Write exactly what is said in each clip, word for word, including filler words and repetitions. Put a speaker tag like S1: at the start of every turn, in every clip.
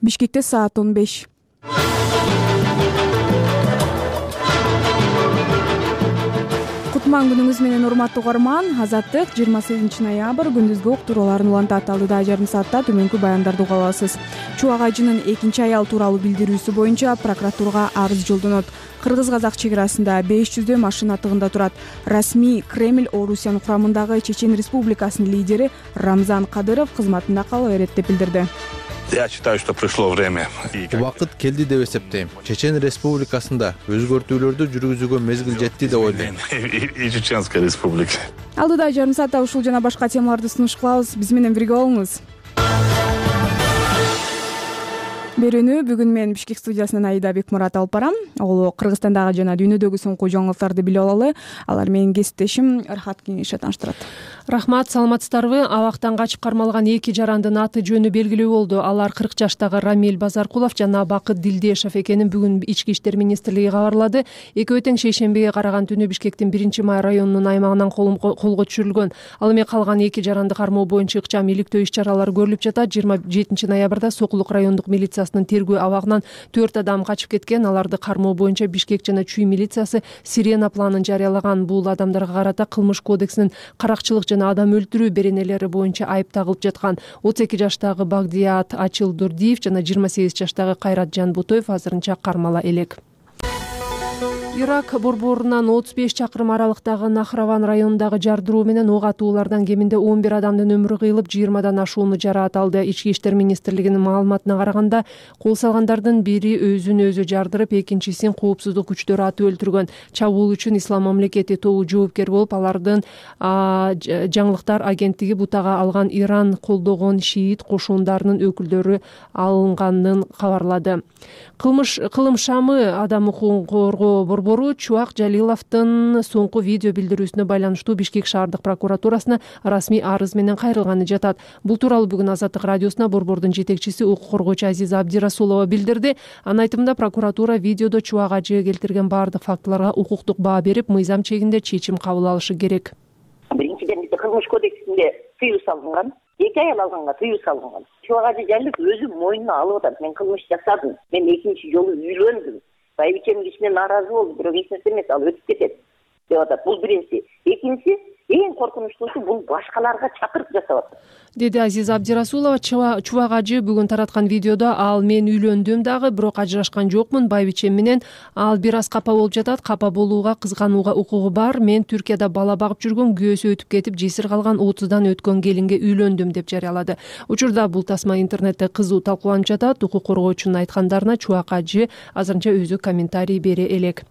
S1: Бишкекте саат он беш. Кутман күнүңүз менен урматтуу угарман. Азаттык жыйырма сегизинчи ноябрь күндүзгү уктурууларын улантат. Алдыда жарым саатта төмөнкү баяндарды уга аласыз. Чубак ажынын экинчи аял тууралуу билдирүүсү боюнча прокуратурага арыз жолдонот. Кыргыз-казак чек арасында беш жүздөй машина тыгында турат. Расмий Кремль Орусиянын курамындагы Чечен Республикасынын лидери Рамзан Кадыров кызматында кала берет деп билдирди.
S2: Я считаю, что пришло время.
S3: Убакыт келди деп эсептейм. Чечен Республикасында өзгөртүүлөрдү жүргүзүүгө мезгил жетти деп ойлойм.
S2: И Чеченская республика.
S1: Алдыда жарым саатта ушул жана башка темаларды сунуш кылабыз. Биз менен бирге болуңуз. Берүүнү бүгүн мен Бишкек студиясынан Аида Бекмурат алып барам. Ол Кыргызстандагы жана дүйнөдөгү соңку жаңылыктарды билип алалы. Алар менин кесиптешим Рахат Кеңеше тааныштырат.
S4: Рахмат, саламатсыздарбы? Абактан качып кармалган эки жарандын аты жөнү белгилүү болду. Алар кырк жаштагы Рамиль Базаркулов жана Бакыт Дилдешев экенин бүгүн Ички иштер министрлиги кабарлады. Экөө тең шейшембиге караган түнү Бишкектин биринчи май районунун аймагынан колго түшүрүлгөн. Ал эми калган эки жаранды кармоо боюнча ыкчам иликтөө иш чаралары көрүлүп жатат. жыйырма жетинчи ноябрда Сокулук райондук милициясынын тергөө абагынан төрт адам качып кеткен. Аларды кармоо боюнча Бишкек жана Чүй милициясы Сирена планын жарыялаган. Бул адамдарга карата Кылмыш кодексинин каракчылык жана адам өлтүрүү беренелери боюнча айып тагылып жаткан. отуз эки жаштагы Багдият Ачилдурдиев жана жыйырма сегиз жаштагы Кайрат Жанбутоев азырынча кармала элек. Ирак борборунан отуз беш чакырым аралыктагы Нахраван районундагы жардыруу менен ок атуулардан кеминде он бир адамдын өмүрү кыйылып, жыйырмадан ашууну жараат алды. Ички иштер министрлигинин маалыматына караганда, кол салгандардын бири өзүн өзү жардырып, экинчисин коопсуздук күчтөрү атып өлтүргөн. Чабуул үчүн Ислам мамлекети тобу жоопкер болуп, алардын жаңылыктар агенттиги бутага алган Иран колдогон шиит кошундарынын өкүлдөрү алынганын кабарлады. Кылмыш кылым шамы адам укугун коргоо борбору Чубак Жалиловдун соңку видео билдирүүсүнө байланыштуу Бишкек шаардык прокуратурасына расмий арыз менен кайрылганы жатат. Бул тууралуу бүгүн Азаттык радиосуна борбордун жетекчиси укук коргоочу Азиза Абдирасулова билдирди. Анын айтымында прокуратура видеодо Чубак ажыга келтирген баардык фактыларга укуктук баа берип, мыйзам чегинде чечим кабыл алышы керек.
S5: Биринчиден бизде Кылмыш кодексинде тыюу салынган. Эки аял алганга тыюу салынган. Чубак ажы Жалилов өзү мойнуна алып атат. Мен кылмыш жасадым. Мен экинчи жолу үйлөндүм. Байбичем кичине нааразы болду, бирок эч нерсе эмес, ал өтүп кетет деп атат. Бул биринчи. Экинчи, эң коркунучтуусу бул башкаларга чакырып жасап атат,
S4: деди Азиза Абдирасулова. Чубак ажы бүгүн тараткан видеодо ал мен үйлөндүм дагы, бирок ажырашкан жокмун, байбичем менен ал бир аз капа болуп жатат. Капа болууга, кызганууга укугу бар. Мен Түркияда бала багып жүргөн, күйөөсү өтүп кетип, жесир калган отуздан өткөн келинге үйлөндүм деп жарыялады. Учурда бул тасма интернетте кызуу талкууланып жатат. Укук коргоочунун айткандарына Чубак ажы азырынча өзү комментарий бере элек.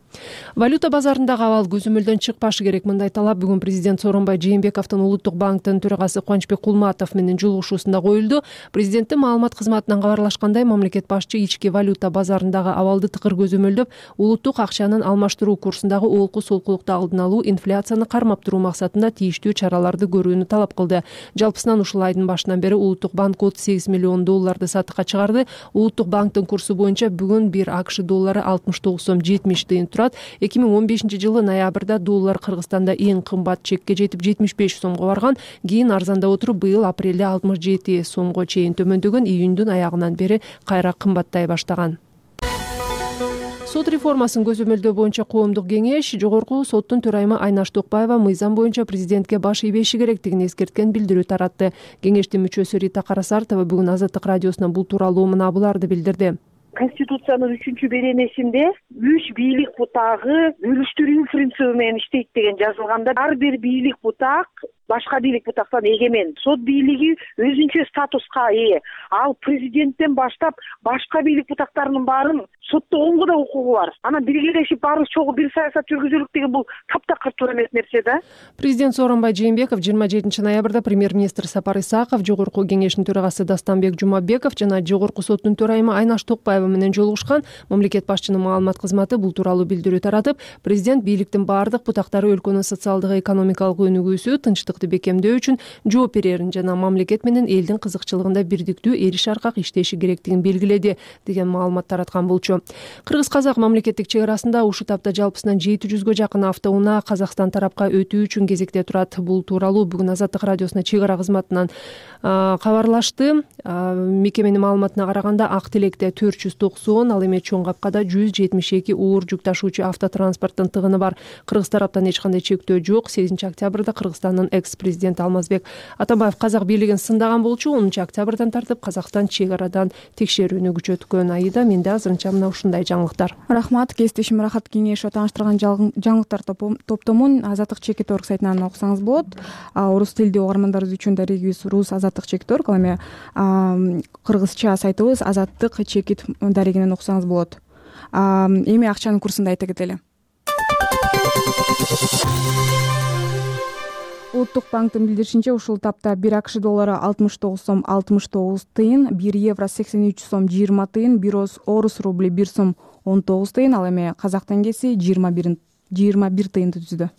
S4: Валюта базарындагы абал көзөмөлдөн чыкпашы керек. Мындай талап бүгүн президент Сооронбай Жээнбековдун Улуттук банктын төрагасы Кубанычбек Кулматов менен жолугушуусунда коюлду. Президенттин маалымат кызматынан кабарлашкандай, мамлекет башчы ички валюта базарындагы абалды тыкыр көзөмөлдөп, улуттук акчанын алмаштыруу курсундагы олку солкулукту алдын алуу, инфляцияны кармап туруу максатында тийиштүү чараларды көрүүнү талап кылды. Жалпысынан ушул айдын башынан бери Улуттук банк отуз сегиз миллион долларды сатыкка чыгарды. Улуттук банктын курсу боюнча бүгүн бир АКШ доллары алтымыш тогуз сом жетимиш тыйын турат. эки миң он бешинчи жылы ноябрда доллар Кыргызстанда эң кымбат чекке жетип жетимиш беш сомго барган. Кийин арзандап отуруп, быйыл апрелде алтымыш жети сомго чейин төмөндөгөн, июндун аягынан бери кайра кымбаттай баштаган. Сот реформасын көзөмөлдөө боюнча коомдук кеңеш жогорку соттун төрайымы Айнаш Токпаева мыйзам боюнча президентке баш ийбеши керектигин эскерткен билдирүү таратты. Кеңештин мүчөсү Рита Карасартова бүгүн Азаттык радиосуна бул тууралуу мына буларды билдирди.
S5: Конституциянын үчүнчү беренесинде үч бийлик бутагы бөлүштүрүү принциби менен иштейт деген жазылганда, ар бир бийлик бутак башка бийлик бутактан эгемен. Сот бийлиги өзүнчө статуска ээ. Ал президенттен баштап башка бийлик бутактарынын баарын сотто оңго да укугу бар. Анан биргелешип баарыбыз чогуу бир саясат жүргүзөлүк деген бул таптакыр туура эмес нерсе да.
S4: Президент Сооронбай Жээнбеков жыйырма жетинчи ноябрда премьер-министр Сапар Исаков, жогорку кеңештин төрагасы Дастанбек Жумабеков жана жогорку соттун төрайымы Айнаш Токпаева менен жолугушкан. Мамлекет башчынын маалымат кызматы бул тууралуу билдирүү таратып, президент бийликтин баардык бутактары өлкөнүн социалдык экономикалык өнүгүүсү, тынчтык коомчулукту бекемдөө үчүн жооп берерин жана мамлекет менен элдин кызыкчылыгында бирдиктүү эриш аркак иштеши керектигин белгиледи деген маалымат тараткан болчу. Кыргыз-казак мамлекеттик чек арасында ушул тапта жалпысынан жети жүзгө жакын автоунаа Казакстан тарапка өтүү үчүн кезекте турат. Бул тууралуу бүгүн Азаттык радиосуна чек ара кызматынан кабарлашты. Мекеменин маалыматына караганда Ак Тилекте төрт жүз токсон, ал эми Чоң Капкада жүз жетимиш эки оор жүк ташуучу автотранспорттун тыгыны бар. Кыргыз тараптан эч кандай чектөө жок. сегизинчи октябрда Кыргызстандын экс-президенти Алмазбек Атамбаев казак бийлигин сындаган болчу. онунчу октябрдан тартып Казакстан чек арадан текшерүүнү күчөткөн. Айда менде азырынча мына ушундай жаңылыктар.
S1: Рахмат. Кесиптешим Рахат Кеңешова тааныштырган жаңылыктар топтомун Азаттык чекит точка орг сайтынан окусаңыз болот. Орус тилдүү угармандарыбыз үчүн дарегибиз Рус Азаттык чекит точка орг, ал эми кыргызча сайтыбыз Азаттык чекит дарегинен окусаңыз болот. Эми акчанын курсун да айта кетели. Улуттук банктын билдиришинче, ушул тапта бир АКШ доллары алтымыш тогуз сом алтымыш тогуз тыйын, бир евро сексен үч сом жыйырма тыйын, бир орус рубли бир сом он тогуз тыйын, ал эми казак теңгеси жыйырма бир тыйынды түздү.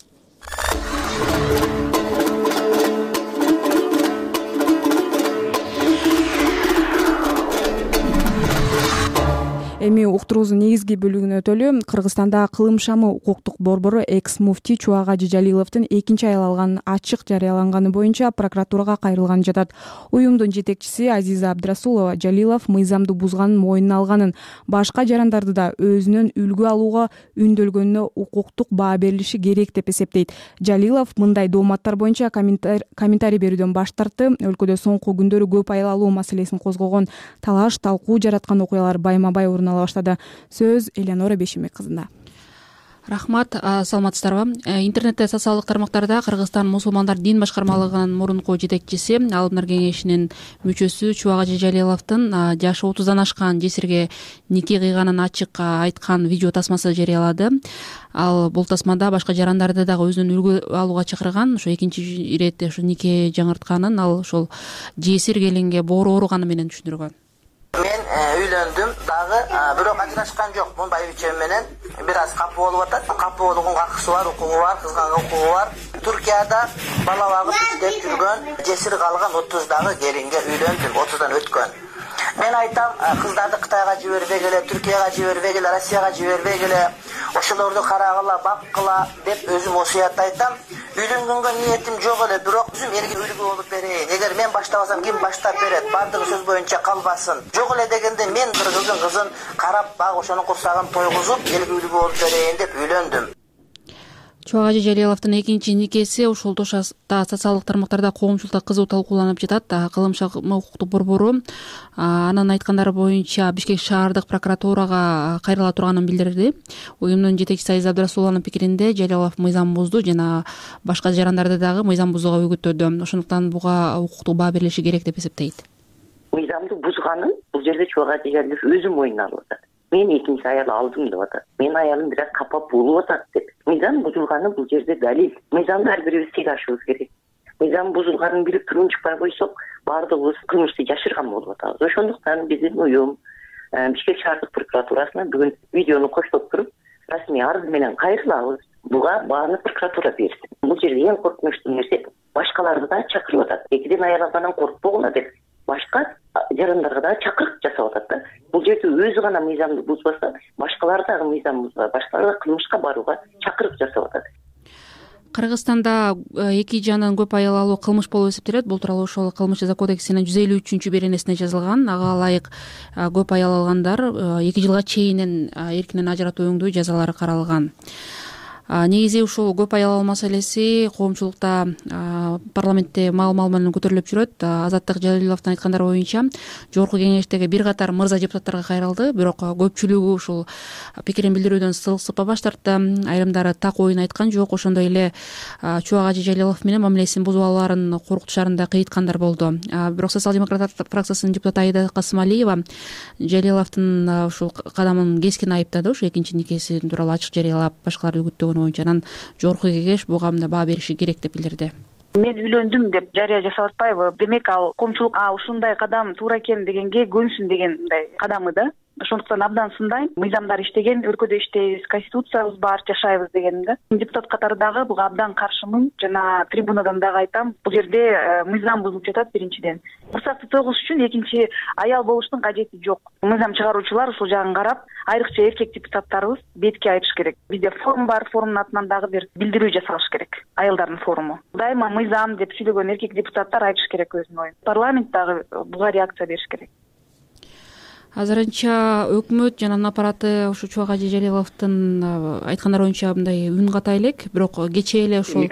S1: Эми уктуруубуздун негизги бөлүгүнө өтөлү. Кыргызстанда кылым шамы укуктук борбору экс-муфти Чубагажы Жалиловдун экинчи айыл алган ачык жарыяланганы боюнча прокуратурага кайрылган жатат. Уюмдун жетекчиси Азиза Абдрасулова Жалилов мыйзамды бузганын мойнуна алганын, башка жарандарды да өзүнөн үлгү алууга үндөлгөнүнө укуктук баа берилиши керек деп эсептейт. Жалилов мындай дооматтар боюнча комментарий берүүдөн баш тартты. Өлкөдө соңку күндөрү көп айыл алуу маселесин козгогон талаш, талкуу жараткан окуялар байма-бай орун ала баштады. Сөз Элеонора Бешимбек кызында.
S6: Рахмат, саламатсыздарбы. Интернетте социалдык тармактарда Кыргызстан мусулмандар дин башкармалыгынын мурунку жетекчиси, Алымдар кеңешинин мүчөсү Чубагажы Жалиловдун жашы отуздан ашкан жесирге нике кыйганын ачык айткан видео тасмасы жарыялады. Ал бул тасмада башка жарандарды дагы өзүнөн үлгү алууга чакырган. Ошо экинчи иретте ушу нике жаңыртканын ал ошол жесир келинге боору ооруганы менен түшүндүргөн.
S7: Мен үйлөндүм дагы, бирок ажырашкан жок. Мун байбичем менен бир аз капы болуп атат. Капы болгонго акысы бар, укугу бар, кызганга укугу бар. Туркияда бала багып иштеп жүргөн жесир калган отуздагы келинге үйлөндүм, отуздан өткөн. Мен айтам, кыздарды Кытайга жибербегиле, Түркияга жибербегиле, Россияга жибербегиле, ошолорду карагыла, баккыла деп өзүм осуят айтам. Үйлөнгөнгө ниетим жок эле, бирок өзүм элге үлгү болуп берейин. Эгер мен баштабасам, ким баштап берет? Бардыгы сөз боюнча калбасын. Жок эле дегенде мен кыргыздын кызын карап, баг ошонун курсагын тойгузуп, элге үлгү болуп берейин деп үйлөндүм.
S6: Чубагажы Жалиловдун экинчи никеси ушул тошаста социалдык тармактарда коомчулукта кызуу талкууланып жатат. Кылым шамы укуктук борбору анын айткандары боюнча Бишкек шаардык прокуратурага кайрыла турганын билдирди. Уюмдун жетекчиси Азиза Абдрасулованын пикиринде Жалилов мыйзам бузду жана башка жарандарды дагы мыйзам бузууга үгүттөдү. Ошондуктан буга укуктук баа берилиши керек деп эсептейт.
S8: Мыйзамды бузганын бул жерде Чубагажы Жалилов өзү мойнуна алып атат. Мен экинчи аял алдым деп атат. Мен аялым бир аз капа болуп атат деп. Мыйзам бузулганы бул жерде далил. Мыйзамды ар бирибиз тыйдашыбыз керек. Мыйзам бузулганын билип туруп чыкпай койсок, баардыгыбыз кылмышты жашырган болуп атабыз. Ошондуктан биздин уюм Бишкек шаардык прокуратурасына бүгүн видеону коштоп туруп, расмий арыз менен кайрылабыз. Буга бааны прокуратура берсин. Бул жерде эң коркунучтуу нерсе башкаларды да чакырып атат. Экиден аял алгандан коркпогула деп башка жарандарга да чакырык жасап атат да. Бул жерде өзү гана мыйзамды бузбаса, башкалар дагы мыйзам бузбайт, башкалар кылмышка барууга чакырык жасап атат.
S6: Кыргызстанда эки жандан көп аял алуу кылмыш болуп эсептелет. Бул тууралуу ошол Кылмыш жаза кодексинин жүз элүү үчүнчү беренесине жазылган. Ага ылайык көп аял алгандар эки жылга чейинен эркинен ажыратуу өңдүү жазалары каралган. Негизи ушул көп аял алуу маселеси коомчулукта парламентте маал-маал менен көтөрүлүп жүрөт. Азаттык Жалиловдун айткандары боюнча жогорку кеңештеги бир катар мырза депутаттарга кайрылды, бирок көпчүлүгү ушул пикирин билдирүүдөн сылыксып баш тартты. Айрымдары так оюн айткан жок, ошондой эле Чубагажы Жалилов менен мамилесин бузуп алаарын коркутушарын да кыйыткандар болду. Бирок социал-демократтар фракциясынын депутаты Айда Касымалиева Жалиловдун ушул кадамын кескин айыптады. Ушу экинчи никеси тууралуу ачык жарыялап башкаларды үгүттөгөн боюнча анан жогорку кеңеш буга баа бериши керек деп билдирди.
S5: Мен үйлөндүм деп жарыя жасап атпайбы? Демек ал коомчулук ушундай кадам туура экен дегенге көнсүн деген мындай кадамы да.
S9: ошондуктан абдан сындайм. Мыйзамдар иштеген, өлкөдө иштейбиз, конституциябыз бар, жашайбыз дегеним да. Депутат катары дагы буга абдан каршымын. Жана трибунадан дагы айтам, бул жерде мыйзам бузулуп жатат биринчиден. Бурсакты тогуш үчүн экинчи аял болуштун кажети жок. Мыйзам чыгаруучулар ушул жагын карап, айрыкча эркек депутаттарыбыз бетке айтыш керек. Бизде форум бар, форумдун атынан дагы бир билдирүү жасалыш керек. Аялдардын форуму. Дайыма мыйзам деп сүйлөгөн эркек депутаттар айтыш керек өзүнүн оюн. Парламент дагы буга реакция бериш керек.
S6: Азырынча өкмөт жана аппараты ушу Чубак Жалиловдун айткандары боюнча мындай үн ката элек, бирок кечээ эле ушул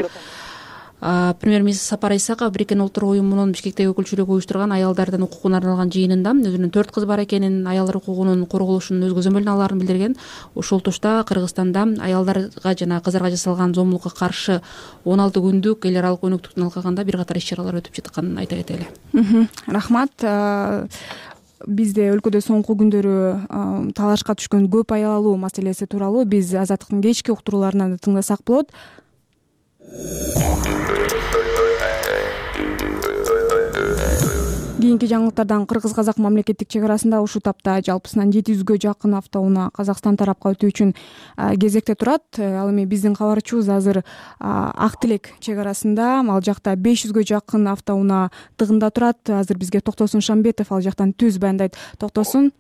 S6: премьер-министр Сапар Исаков Бириккен Улуттар уюмунун Бишкектеги өкүлчүлүгү уюштурган аялдардын укугуна арналган жыйынында өзүнүн төрт кызы бар экенин, аялдар укугунун корголушунун өз көзөмөлүнө алаарын билдирген. Ушул тушта Кыргызстанда аялдарга жана кыздарга жасалган зомбулукка каршы он алты күндүк эл аралык өнөктүктүн алкагында бир катар иш-чаралар өтүп жатканын айта кетели.
S1: Рахмат. Бизде өлкөдө соңку күндөрү талашка түшкөн көп аялуу маселеси тууралуу биз Азаттыктын кечки уктурууларынан да тыңдасак болот. Кийинки жаңылыктардан кыргыз-казак мамлекеттик чек арасында ушул тапта жалпысынан жети жүзгө жакын автоунаа Казакстан тарапка өтүү үчүн кезекте турат. Ал эми биздин кабарчыбыз азыр Ак Тилек чек арасында, ал жакта беш жүзгө жакын автоунаа тыгында турат. Азыр бизге Токтосун Шамбетов ал жактан түз баяндайт. Токтосун.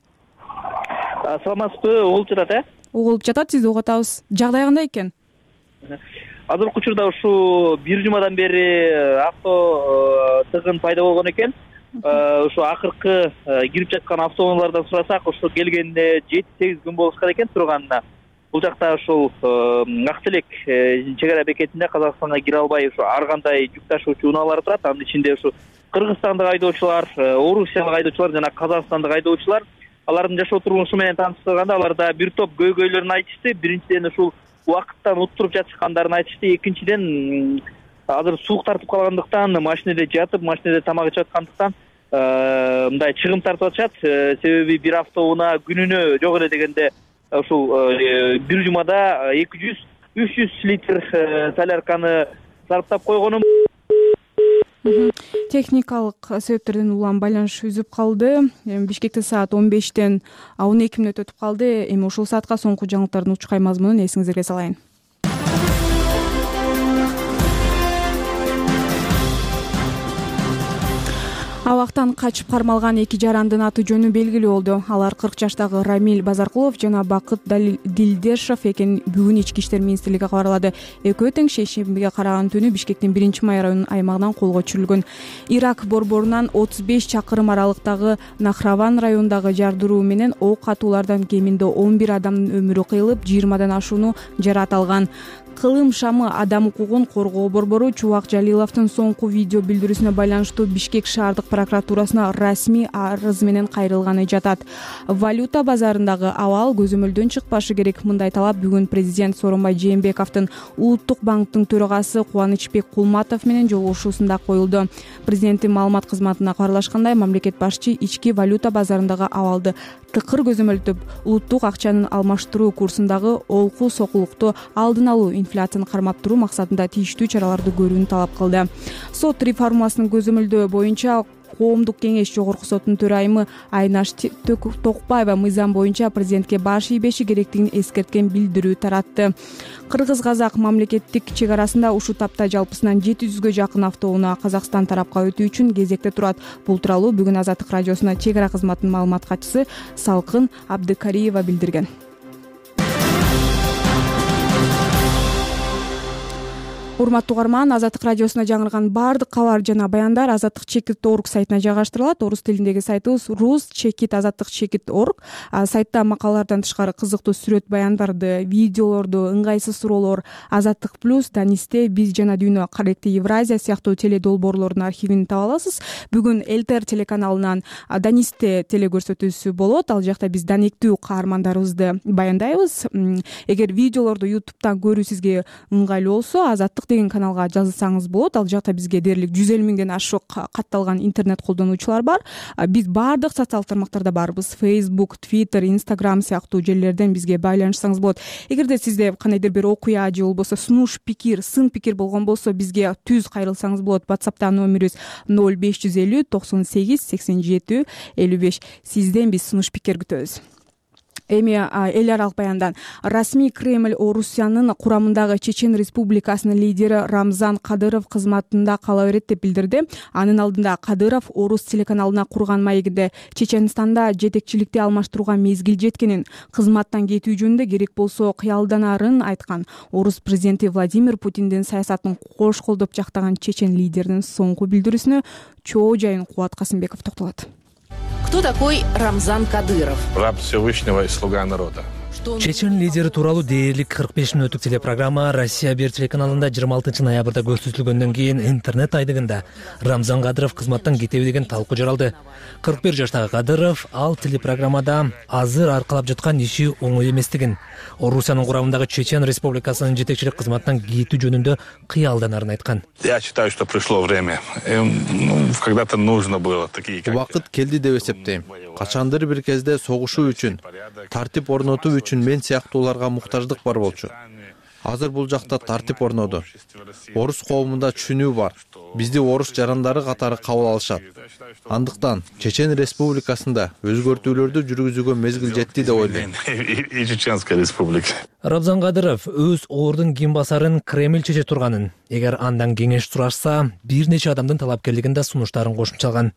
S10: Саламатсызбы, угулуп жатат э?
S1: Угулуп жатат, сизди угуп атабыз. Жагдай кандай экен?
S10: Азыркы учурда ушу бир жумадан бери авто тыгын пайда болгон экен. Ушу акыркы кирип жаткан автоунаалардан сурасак, ушу келгенине жети сегиз күн болушкан экен турганына. Бул жакта ушул Ак Тилек чек ара бекетинде Казакстанга кире албай ушу ар кандай жүк ташуучу унаалар турат. Анын ичинде ушу кыргызстандык айдоочулар, орусиялык айдоочулар жана казакстандык айдоочулар. Алардын жашоо турмушу менен тааныштырганда аларда бир топ көйгөйлөрүн айтышты. Биринчиден ушул убакыттан уттуруп жатышкандарын айтышты. Экинчиден азыр суук тартып калгандыктан машинеде жатып, машинеде тамак ичип аткандыктан мындай чыгым тартып атышат. Себеби бир автоунаа күнүнө жок эле дегенде ушул бир жумада эки жүз үч жүз литр солярканы сарптап койгонум.
S1: Техникалык себептерден улам байланыш үзүп калды. Бишкекте саат он бештен он эки мүнөт өтүп калды. Эми ушул саатка соңку жаңылыктардын учкай мазмунун эсиңиздерге салайын. Абактан качып кармалган эки жарандын аты жөнү белгилүү болду. Алар кырк жаштагы Рамиль Базаркулов жана Бакыт Дилдешов экенин бүгүн Ички иштер министрлиги кабарлады. Экөө тең шейшембиге караган түнү Бишкектин биринчи май районунун аймагынан колго түшүрүлгөн. Ирак борборунан отуз беш чакырым аралыктагы Нахраван районундагы жардыруу менен ок атуулардан кеминде он бир адамдын өмүрү кыйылып, жыйырмадан ашууну жаракат алган. Кылым шамы адам укугун коргоо борбору Чубак Жалиловдун соңку видео билдирүүсүнө байланыштуу Бишкек шаардык прокуратурасына расмий арыз менен кайрылганы жатат. Валюта базарындагы абал көзөмөлдөн чыкпашы керек. Мындай талап бүгүн президент Сооронбай Жээнбековдун Улуттук банктын төрагасы Кубанычбек Кулматов менен жолугушуусунда коюлду. Президенттин маалымат кызматына кабарлашкандай, мамлекет башчы ички валюта базарындагы абалды тыкыр көзөмөлдөп, улуттук акчанын алмаштыруу курсундагы олку сокулукту алдын алуу, инфляцияны кармап туруу максатында тийиштүү чараларды көрүүнү талап кылды. Сот реформасынын көзөмөлдөө боюнча Коомдук кеңеш жогорку соттун төрайымы Айнаш Токпаева мыйзам боюнча президентке баш ийбеши керектигин эскерткен билдирүү таратты. Кыргыз-казак мамлекеттик чек арасында ушул тапта жалпысынан жети жүзгө жакын автоунаа Казакстан тарапка өтүү үчүн кезекте турат. Бул тууралуу бүгүн Азаттык радиосуна чек ара кызматынын маалымат катчысы Салкын Абдыкариева билдирген. Урматтуу угарман, Азаттык радиосуна жаңырган баардык кабар жана баяндар азаттык чекит точка орг сайтына жайгаштырылат. Орус тилиндеги сайтыбыз рус чекит азаттык чекит точка орг. Сайтта макалалардан тышкары кызыктуу сүрөт баяндарды, видеолорду, ыңгайсыз суроолор, Азаттык плюс, Данисте, Биз жана Дүйнө, Каректи Евразия сыяктуу теледолбоорлордун архивин таба аласыз. Бүгүн Элтер телеканалынан Данисте телекөрсөтүүсү болот. Ал жакта биз даниктүү каармандарыбызды баяндайбыз. Эгер видеолорду ютубтан көрүү сизге ыңгайлуу болсо, Азаттык деген каналга жазылсаңыз болот. Ал жакта бизге дээрлик жүз элүү миңден ашык катталган интернет колдонуучулар бар. Биз баардык социалдык тармактарда барбыз. Facebook, Twitter, Instagram сыяктуу жерлерден бизге байланышсаңыз болот. Эгерде сизде кандайдыр бир окуя же болбосо сунуш пикир, сын пикир болгон болсо, бизге түз кайрылсаңыз болот. WhatsApp'та номерибиз ноль беш жүз элүү токсон сегиз сексен жети элүү беш. Сизден биз сунуш пикир күтөбүз. Эми эл аралык баяндан расмий Кремль Орусиянын курамындагы Чечен Республикасынын лидери Рамзан Кадыров кызматында кала берет деп билдирди. Анын алдында Кадыров Орус телеканалына курган маегинде Чеченстанда жетекчиликти алмаштырууга мезгил жеткенин, кызматтан кетүү жөнүндө керек болсо кыялданарын айткан. Орус президенти Владимир Путиндин саясатын кош колдоп жактаган чечен лидеринин соңку билдирүүсүнө чоо жайын Кубат Касымбеков токтолот.
S11: Кто такой Рамзан Кадыров?
S2: Раб Всевышнего и слуга народа.
S12: Чечен лидери тууралуу дээрлик кырк беш мүнөттүк телепрограмма Россия бир телеканалында жыйырма алтынчы ноябрда көрсөтүлгөндөн кийин интернет айдыгында Рамзан Кадыров кызматтан кетеби деген талкуу жаралды. кырк бир жаштагы Кадыров ал телепрограммада азыр аркалап жаткан иши оңой эместигин, Орусиянын курамындагы Чечен Республикасынын жетекчилик кызматтан кетүү жөнүндө кыялданарын айткан.
S2: Я считаю, что пришло время. Ну, когда-то нужно было такие.
S3: Убакыт келди деп эсептейм. Качандыр бир кезде согушуу үчүн, тартип орнотуу үчүн мен сыяктууларга муктаждык бар болчу. Азыр бул жакта тартип орноду. Орус коомунда түшүнүү бар. Бизди орус жарандары катары кабыл алышат. Андыктан Чечен Республикасында өзгөртүүлөрдү жүргүзүүгө мезгил жетти деп ойлойм.
S2: И Чеченская республика.
S12: Рамзан Кадыров өз ордун ким басарын Кремль чече турганын, эгер андан кеңеш сурашса, бир нече адамдын талапкерлигин да сунуштарын кошумчалган.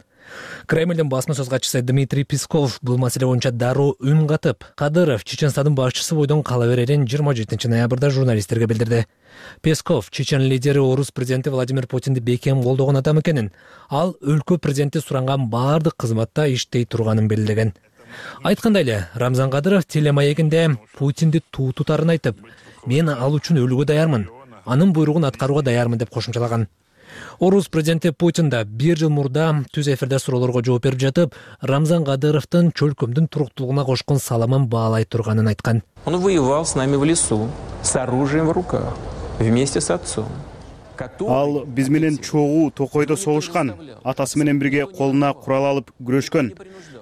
S12: Кремльдин басма сөз катчысы Дмитрий Песков бул маселе боюнча дароо үн катып, Кадыров Чеченстандын башчысы бойдон кала берерин жыйырма жетинчи ноябрда журналисттерге билдирди. Песков Чечен лидери Орус президенти Владимир Путинди бекем колдогон адам экенин, ал өлкө президенти суранган баардык кызматта иштей турганын белгилеген. Айткандай эле, Рамзан Кадыров телемаегинде Путинди туу тутарын айтып, мен ал үчүн өлүүгө даярмын, анын буйругун аткарууга даярмын деп кошумчалаган. Орус президенти Путин да бир жыл мурда түз эфирде суроолорго жооп берип жатып, Рамзан Кадыровдун чөлкөмдүн туруктуулугуна кошкон салымын баалай турганын айткан.
S13: Он воевал с нами в лесу, с оружием в руках, вместе с отцом.
S14: Ал биз менен чогуу токойдо согушкан, атасы менен бирге колуна курал алып күрөшкөн.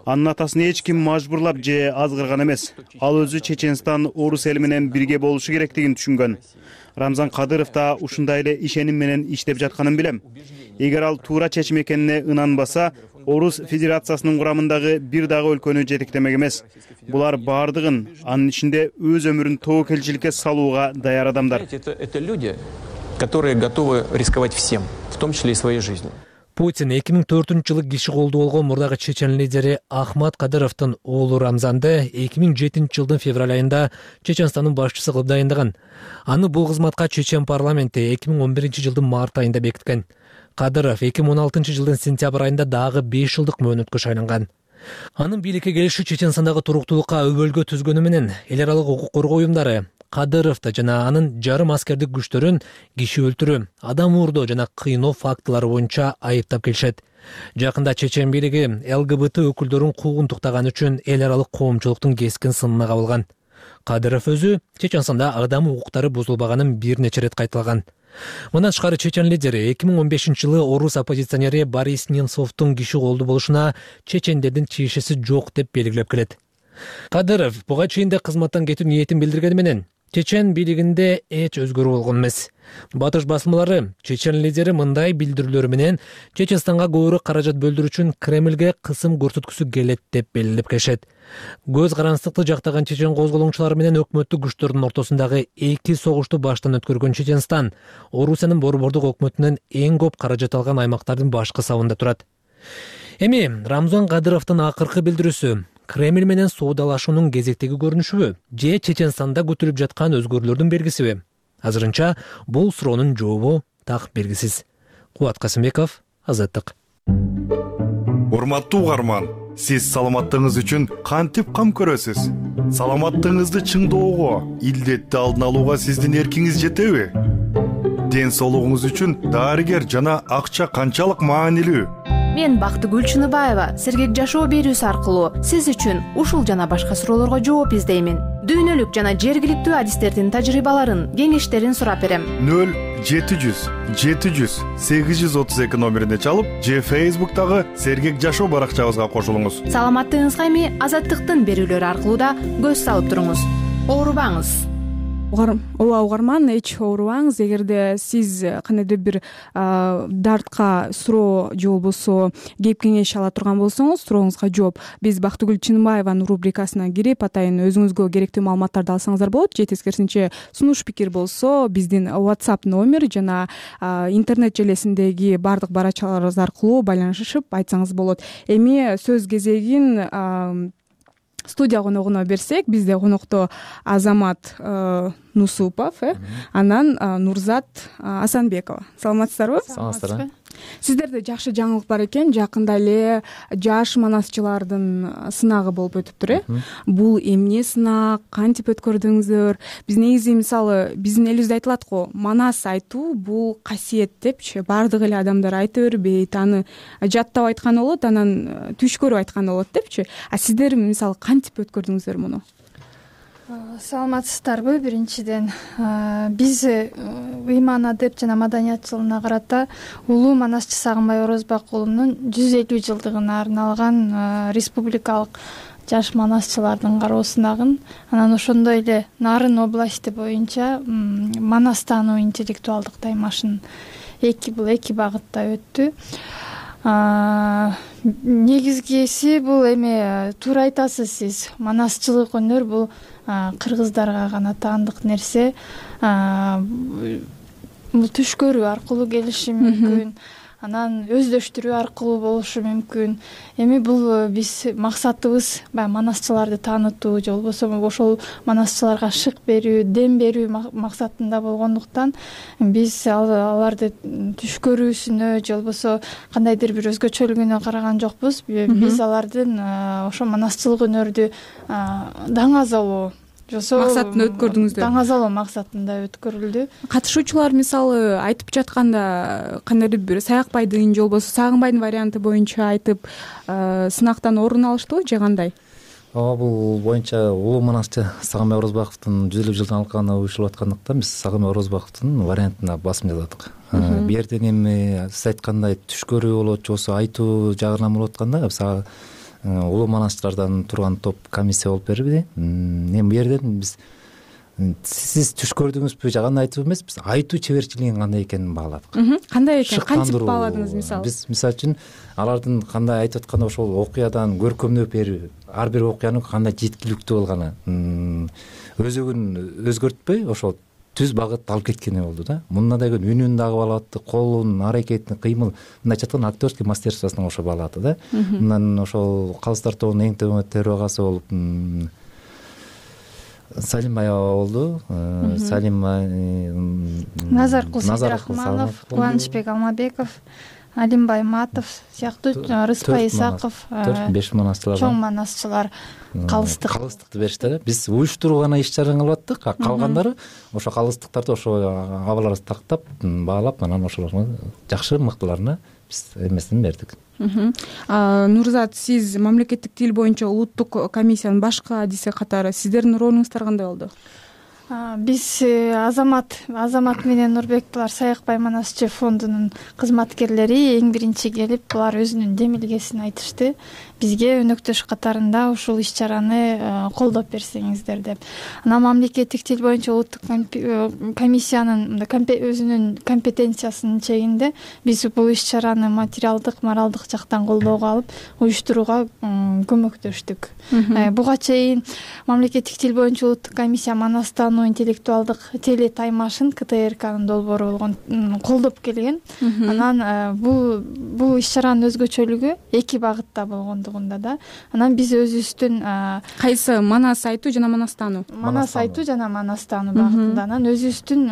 S14: Анын атасын эч ким мажбурлап же азгырган эмес. Ал өзү Чеченстан орус эли менен бирге болушу керектигин түшүнгөн. Рамзан Кадыров да ушундай эле ишеним менен иштеп жатканын билем. Эгер ал туура чечим экенине ынанбаса, Орус Федерациясынын курамындагы бир дагы өлкөнү жетектемек эмес. Булар баардыгын, анын ичинде өз өмүрүн тобокелчиликке салууга даяр адамдар.
S13: Это люди, которые готовы рисковать всем, в том числе и своей жизнью.
S12: Путин эки миң төртүнчү жылы киши колдуу болгон мурдагы чечен лидери Ахмат Кадыровдун оолу Рамзанды эки миң жетинчи жылдын февраль айында Чеченстандын башчысы кылып дайындаган. Аны бул кызматка Чечен парламенти эки миң он биринчи жылдын март айында бекиткен. Кадыров эки миң он алтынчы жылдын сентябрь айында дагы беш жылдык мөөнөткө шайланган. Анын бийликке келиши Чеченстандагы туруктуулукка өбөлгө түзгөнү менен эл аралык укук коргоо уюмдары Кадыровду жана анын жарым аскердик күчтөрүн киши өлтүрүү, адам уурдоо жана кыйноо фактылары боюнча айыптап келишет. Жакында чечен бийлиги Л Г Б Т өкүлдөрүн куугунтуктаган үчүн эл аралык коомчулуктун кескин сынына кабылган. Кадыров өзү Чеченстанда адам укуктары бузулбаганын бир нече ирет кайталаган. Мындан тышкары чечен лидери эки миң он бешинчи жылы орус оппозиционери Борис Немцовдун киши колдуу болушуна чечендердин тиешеси жок деп белгилеп келет. Кадыров буга чейин да кызматтан кетүү ниетин билдиргени менен Чечен бийлигинде эч өзгөрүү болгон эмес. Батыш басмалары чечен лидери мындай билдирүүлөр менен Чеченстанга көбүрөөк каражат бөлдүрүү үчүн Кремльге кысым көрсөткүсү келет деп белгилеп келишет. Көз карандыкты жактаган чечен козголоңчулары менен өкмөттүк күчтөрдүн ортосундагы эки согушту баштан өткөргөн Чеченстан Орусиянын борбордук өкмөтүнөн эң көп каражат алган аймактардын башкы сабында турат. Эми Рамзан Кадыровдун акыркы билдирүүсү Кремль менен соодалашуунун кезектеги көрүнүшүбү же Чеченстанда күтүлүп жаткан өзгөрүүлөрдүн белгисиби? Азырынча бул суроонун жообу так белгисиз. Кубат Касымбеков, Азаттык.
S15: Урматтуу угарман, сиз саламаттыгыңыз үчүн кантип кам көрөсүз? Саламаттыгыңызды чыңдоого, илдетти алдын алууга сиздин эркиңиз жетеби? Ден соолугуңуз үчүн дарыгер жана акча канчалык маанилүү?
S16: Мен Бактыгүл Чыныбаева сергек жашоо берүүсү аркылуу сиз үчүн ушул жана башка суроолорго жооп издеймин. Дүйнөлүк жана жергиликтүү адистердин тажрыйбаларын, кеңештерин сурап берем.
S15: нөл жети жүз жети жүз сегиз жүз отуз эки номерине чалып, же Фейсбуктагы сергек жашоо баракчабызга кошулуңуз.
S16: Саламаттыгыңызга эми Азаттыктын берүүлөрү аркылуу да көз салып туруңуз. Оорубаңыз.
S1: ооба угарман, эч оорубаңыз. Эгерде сиз кандайдыр бир дартка суроо же болбосо кеп кеңеш ала турган болсоңуз, сурооңузга жооп биз Бактыгүл Чыныбаеванын рубрикасына кирип атайын өзүңүзгө керектүү маалыматтарды алсаңыздар болот. Же тескерисинче сунуш пикир болсо биздин WhatsApp номер жана интернет желесиндеги баардык барачаларыбыз аркылуу байланышып айтсаңыз болот. Эми сөз кезегин студия коногуна берсек, бизде конокто Азамат Нусупов, э анан Нурзат Асанбекова. Саламатсыздарбы?
S17: Саламатсыздарбы.
S1: Сиздерде жакшы жаңылык бар экен. Жакында эле жаш манасчылардын сынагы болуп өтүптүр, э бул эмне сынак, кантип өткөрдүңүздөр? Биз негизи мисалы биздин элибизде айтылат го, манас айтуу бул касиет депчи. Баардык эле адамдар айта бербейт, аны жаттап айтканы болот, анан түш көрүп айтканы болот депчи. А сиздер мисалы кантип өткөрдүңүздөр муну?
S17: Саламатсыздарбы? Биринчиден биз ыйман адеп жана маданият жылына карата улуу манасчы Сагынбай Орозбак уулунун жүз элүү жылдыгына арналган республикалык жаш манасчылардын кароо сынагын, анан ошондой эле Нарын области боюнча манастануу интеллектуалдык таймашын эки бул эки багытта өттү. Негизгиси бул эми туура айтасыз сиз, манасчылык өнөр бул кыргыздарга гана таандык нерсе. Бул түш көрүү аркылуу келиши мүмкүн, анан өздөштүрүү аркылуу болушу мүмкүн. Эми бул биз максатыбыз баягы манасчыларды таанытуу же болбосо ошол манасчыларга шык берүү, дем берүү максатында болгондуктан биз аларды түш көрүүсүнө же болбосо кандайдыр бир өзгөчөлүгүнө караган жокпуз. Биз алардын ошо манасчылык өнөрдү даңазалоо
S1: максатында өткөрдүңүздөр.
S17: Даңазалоо максатында өткөрүлдү.
S1: Катышуучулар мисалы айтып жатканда кандайдыр бир Саякбайдын же болбосо Сагынбайдын варианты боюнча айтып сынактан орун алыштыбы же кандай?
S18: Ооба, бул боюнча улуу манасчы Сагынбай Орозбаковдун жүз элүү жылдын алкагына уюшулуп аткандыктан биз Сагынбай Орозбаковдун вариантына басым жасадык. Бу жерден эми сиз айткандай түш көрүү болот же болбосо айтуу жагынан болуп атканда биз улуу манасчылардан турган топ комиссия болуп берди. Эми бу жерден биз сиз түш көрдүңүзбү же кандай айтуу эмес, биз айтуу чеберчилигинин кандай экенин бааладык.
S1: Кандай экен? Кантип бааладыңыз мисалы?
S18: Биз мисалы үчүн алардын кандай айтып атканда ошол окуядан көркөмдөп берүү, ар бир окуянын кандай жеткиликтүү болгону, өзөгүн өзгөртпөй ошол түз багыт алып кеткени болду да. Мундан дагы үнүн дагы баалатты, колун, аракетин, кыймыл, мындайча айтканда актерский мастерствосун ошо баалады да. Мындан ошол Калыстар тобунун эң төрагасы болуп Салимбаева болду. Салима,
S17: Назаркул Сейдрахманов, Кубанычбек Алмабеков, Алимбай Матов сыяктуу Рыспай Исаков,
S18: төрт беш манасчылар,
S17: чоң манасчылар калыстык
S18: калыстыкты беришти да. Биз уюштуруу гана иш чараны кылып аттык, калгандары ошо калыстыктарды ошо абаларды тактап, баалап, анан ошолорго жакшы мыктыларына биз эмесин бердик.
S1: Нурзат, сиз мамлекеттик тил боюнча улуттук комиссиянын башкы адиси катары сиздердин ролуңуздар кандай болду?
S17: Биз Азамат Азамат менен Нурбек булар Саякбай манасчы фондунун кызматкерлери эң биринчи келип булар өзүнүн демилгесин айтышты. Бизге өнөктөш катарында ушул иш чараны колдоп берсеңиздер деп. Анан мамлекеттик тил боюнча улуттук комиссиянын өзүнүн компетенциясынын чегинде биз бул иш чараны материалдык, моралдык жактан колдоого алып, уюштурууга көмөктөштүк. Буга чейин мамлекеттик тил боюнча улуттук комиссия манастануу интеллектуалдык теле таймашын КТРКнын долбоору болгон колдоп келген. Анан бул бул иш чаранын өзгөчөлүгү эки багытта болгондугунда да. Анан биз өзүбүздүн
S1: кайсы манас айтуу жана манастануу
S17: манас айтуу жана манастануу багытында анан өзүбүздүн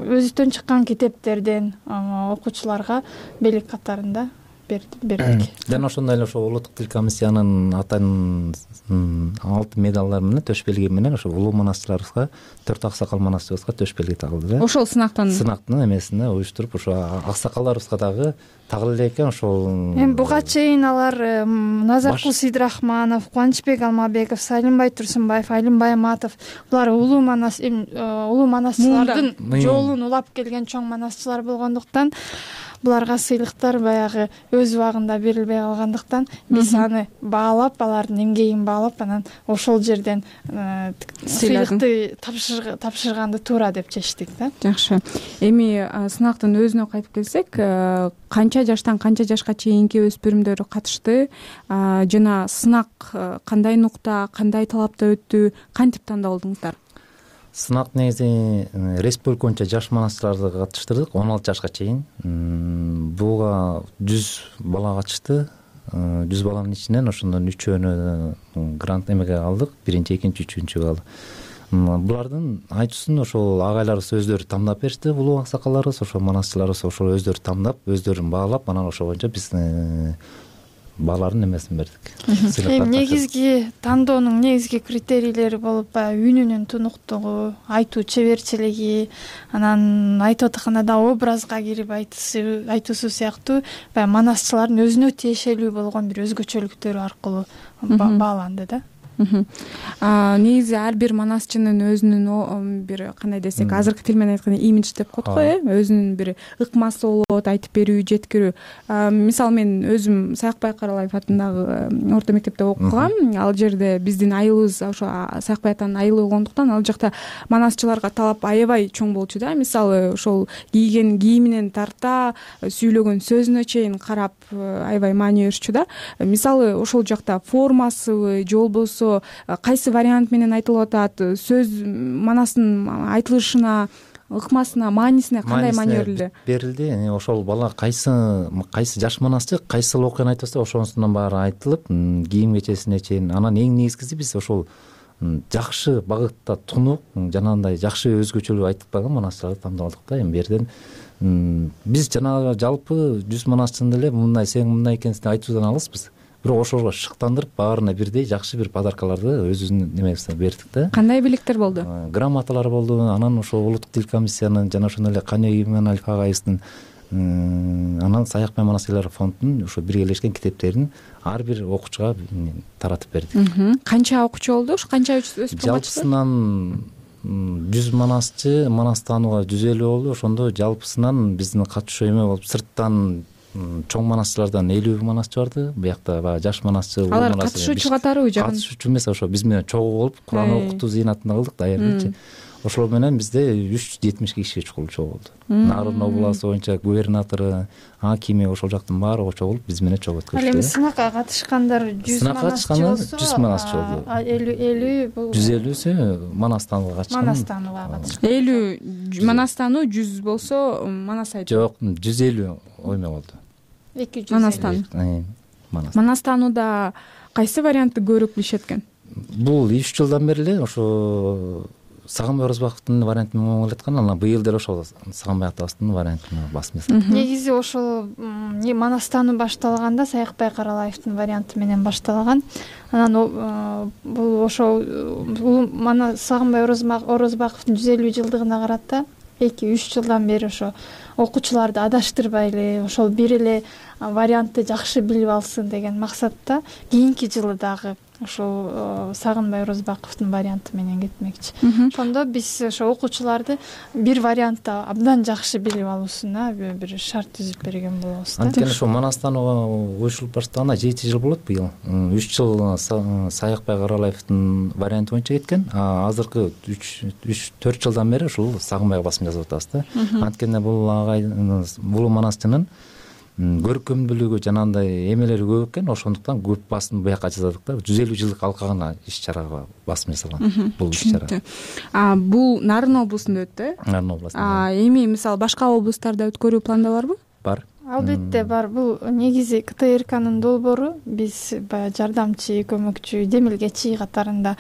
S17: өзүбүздөн чыккан китептерден окуучуларга белек катарында бердик.
S18: Жана ошондой эле ошо улуттук тил комиссиянын алтын алтын медалдары менен төш белги менен ошо улуу манасчыларыбызга, төрт аксакал манасчыбызга төш белги тагылды да.
S1: Ошол сынактан
S18: сынактын эмесине уюштуруп ошо аксакалдарыбызга дагы тагыла элек экен ошол.
S17: Эми буга чейин алар Назаркул Сейдрахманов, Кубанычбек Алмабеков, Салимбай Турсунбаев, Алимбай Матов булар улуу манас улуу манасчылардын жолун улап келген чоң манасчылар болгондуктан буларга сыйлыктар баягы өз убагында берилбей калгандыктан биз аны баалап, алардын эмгегин баалап, анан ошол жерден сыйлыкты тапшырганды туура деп чечтик да.
S1: Жакшы. Эми сынактын өзүнө кайтып келсек, канча жаштан канча жашка чейинки өспүрүмдөр катышты жана сынак кандай нукта, кандай талапта өттү, кантип тандалдыңыздар?
S18: Сынак негизи республика боюнча жаш манасчыларды катыштырдык, он алты жашка чейин. Буга жүз бала катышты. жүз баланын ичинен ошондон үчөөнү грант эмеге алдык, биринчи, экинчи, үчүнчүгө алдык. Булардын айтуусун ошол агайларыбыз өздөрү тандап беришти, улуу аксакалдарыбыз, ошол манасчыларыбыз ошол өздөрү тандап, өздөрүн баалап, анан ошол боюнча биз баалардын эмесин бердик.
S17: Эми негизги тандоонун негизги критерийлери болуп, баягы үнүнүн тунуктугу, айтуу чеберчилиги, анан айтып атканда образга кирип айтуусу сыяктуу баягы манасчылардын өзүнө тиешелүү болгон бир өзгөчөлүктөрү аркылуу бааланды да.
S1: Негизи ар бир манасчынын өзүнүн бир кандай десек, азыркы тил менен айтканда имидж деп коет го, э, өзүнүн бир ыкмасы болот, айтып берүү, жеткирүү. Мисалы мен өзүм Саякбай Каралаев атындагы орто мектепте окугам. Ал жерде биздин айылыбыз ошо Саякбай атанын айылы болгондуктан ал жакта манасчыларга талап аябай чоң болчу да. Мисалы ошол кийген кийиминен тарта, сүйлөгөн сөзүнө чейин карап аябай маани берчү да. Мисалы ошол жакта формасыбы же болбосо кайсы вариант менен айтылып атат, сөз манастын айтылышына, ыкмасына, маанисине кандай маани берилди?
S18: Берилди. Ошол бала кайсы кайсы жаш манасчы кайсыл окуяны айтып атса, ошонусунан баары айтылып, кийим кечесине чейин. Анан эң негизгиси биз ошол жакшы багытта тунук, жанагындай жакшы өзгөчөлүк айтып калган манасчыларды тандап алдык да. Эми берден биз жанагы жалпы жүз манасчыны деле мындай сен мындай экенсиң деп айтуудан алыспыз. Бирок ошого шыктандырып, баарына бирдей жакшы бир подаркаларды өзүбүздүн немебизде бердик да.
S1: Кандай белектер болду?
S18: Грамоталар болду. Анан ошол улуттук тил комиссиянын жана ошондой эле Каня Иманалиев агайыбыздын, анан Саякбай манасчылар фондунун ошо биргелешкен китептерин ар бир окуучуга таратып бердик.
S1: Канча окуучу болду? Канча өспүрүм катышты?
S18: Жалпысынан жүз манасчы, манас таанууга жүз элүү болду. Ошондо жалпысынан биздин катышуу эме болуп, сырттан чоң манасчылардан элүү манасчы барды. Буякта баягы жаш манасчы, улуу манасчы.
S1: Алар катышуучу катары жагын?
S18: Катышуучу эмес, ошо биз менен чогуу болуп, Куран окутуу зыйнатында кылдык да аябай. Ошол менен бизде үч жүз жетимиш киши чогуу болду. Нарын областы боюнча губернатору, акими ошол жактын баары чогулуп биз менен чогуу өткөрүштү.
S17: Ал эми сынакка катышкандар жүз манасчы болсо,
S18: жүз манасчы болду.
S17: элүү бул
S18: жүз элүүсү манас таанууга катышкан.
S17: Манас таанууга катышкан.
S1: элүү манас таануу, жүз болсо манас айтуу.
S18: Жок, жүз элүү ойме болду.
S17: эки жүз
S1: манас таануу. Манас таанууда кайсы вариантты көбүрөөк билишет экен?
S18: Бул үч жылдан бери эле ошо Сагынбай Орозбаковдун вариантын менен келаткан, анан быйыл деле ошол Сагынбай атабыздын вариантын басып жасадык.
S17: Негизи ошол манас таануу башталганда Саякбай Каралаевдин варианты менен башталган. Анан бул ошол Сагынбай Орозбаковдун жүз элүү жылдыгына карата эки үч жылдан бери ошо окуучуларды адаштырбай эле ошол бир эле вариантты жакшы билип алсын деген максатта кийинки жылы дагы ошол Сагынбай Орозбаковдун варианты менен кетмекчи. Ошондо биз ошо окуучуларды бир вариантты абдан жакшы билип алуусуна бир шарт түзүп берген болобуз да.
S18: Анткени ошо манас таанууга уюшулуп баштаганда жети жыл болот быйыл. үч жыл Саякбай Каралаевдин варианты боюнча кеткен, а азыркы үч төрт жылдан бери ушул Сагынбайга басым жасап атабыз да. Анткени бул агай бул манасчынын көркөмдүүлүгү жанагындай эмелери көп экен, ошондуктан көп басым буяка жасадык да. жүз элүү жылдык алка гана иш чарага басым жасалган бул иш чара.
S1: А бул Нарын облусунда өттү, э?
S18: Нарын облусунда.
S1: А эми мисалы башка облустарда өткөрүү планда барбы?
S18: Бар.
S17: Албетте бар. Бул негизи КТРКнын долбоору. Биз баягы жардамчы, көмөкчү, демилгечи катарында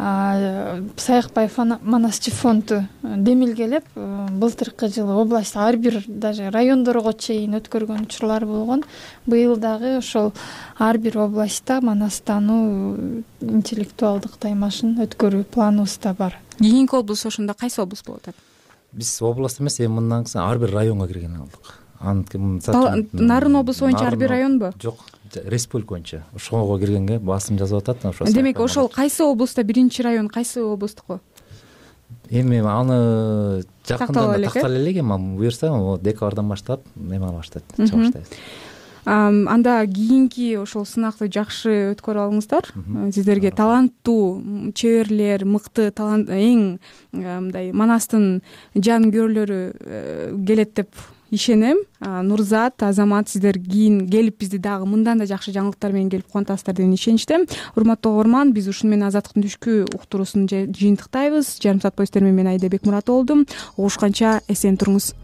S17: Саякбай манасчы фонду демилгелеп, былтыркы жылы область ар бир даже райондорго чейин өткөргөн учурлар болгон. Быйыл дагы ошол ар бир областта манас таануу интеллектуалдык таймашын өткөрүү планыбызда бар.
S1: Кийинки облус ошондо кайсы облус болуп атат?
S18: Биз область эмес, эми мындан кийин ар бир районго кирген алдык.
S1: Нарын облусу боюнча ар бир районбу?
S18: Жок, республика боюнча ошого киргенге басым жасап атат.
S1: Демек ошол кайсы облустта биринчи район кайсы облустуку?
S18: эми аны
S1: Такталып
S18: жакында
S1: элек, э?
S18: тактала элек эми буюрса декабрдан баштап эме ала баштайт, чыга баштайбыз.
S1: Анда кийинки ошол сынакты жакшы өткөрүп алыңыздар. Сиздерге таланттуу чеберлер, мыкты талант, эң мындай Манастын жанкүйерлөрү келет деп ишенем. Нурзат, Азамат, сиздер кийин келип бизди дагы мындан да жакшы жаңылыктар менен келип кубантасыздар деген ишеничтем. Урматтуу угарман, биз ушуну менен Азаттыктын түшкү уктуруусун жыйынтыктайбыз. Жарым саат бою сиздер менен мен Айда Бекмурат болдум. Угушканча эсен туруңуз.